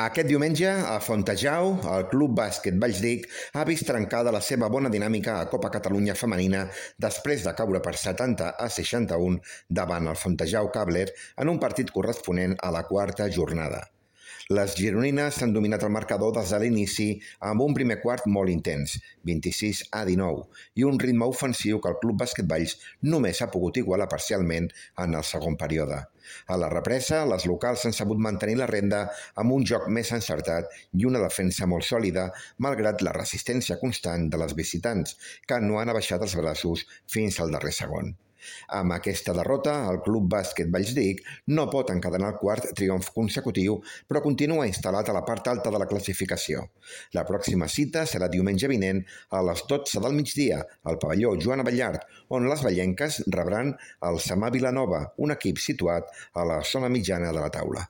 Aquest diumenge, a Fontejau, el Club Bàsquet Vallsdic ha vist trencada la seva bona dinàmica a Copa Catalunya femenina després de caure per 70-61 davant el Fontejau Càbler en un partit corresponent a la quarta jornada. Les gironines s'han dominat el marcador des de l'inici amb un primer quart molt intens, 26-19, i un ritme ofensiu que el Club Bàsquet Valls només ha pogut igualar parcialment en el segon període. A la represa, les locals han sabut mantenir la renda amb un joc més encertat i una defensa molt sòlida, malgrat la resistència constant de les visitants, que no han abaixat els braços fins al darrer segon. Amb aquesta derrota, el Club Bàsquet Vallsdic no pot encadenar el quart triomf consecutiu, però continua instal·lat a la part alta de la classificació. La pròxima cita serà diumenge vinent a les 12 del migdia al pavelló Joan Abellart, on les vallenques rebran el Samà Vilanova, un equip situat a la zona mitjana de la taula.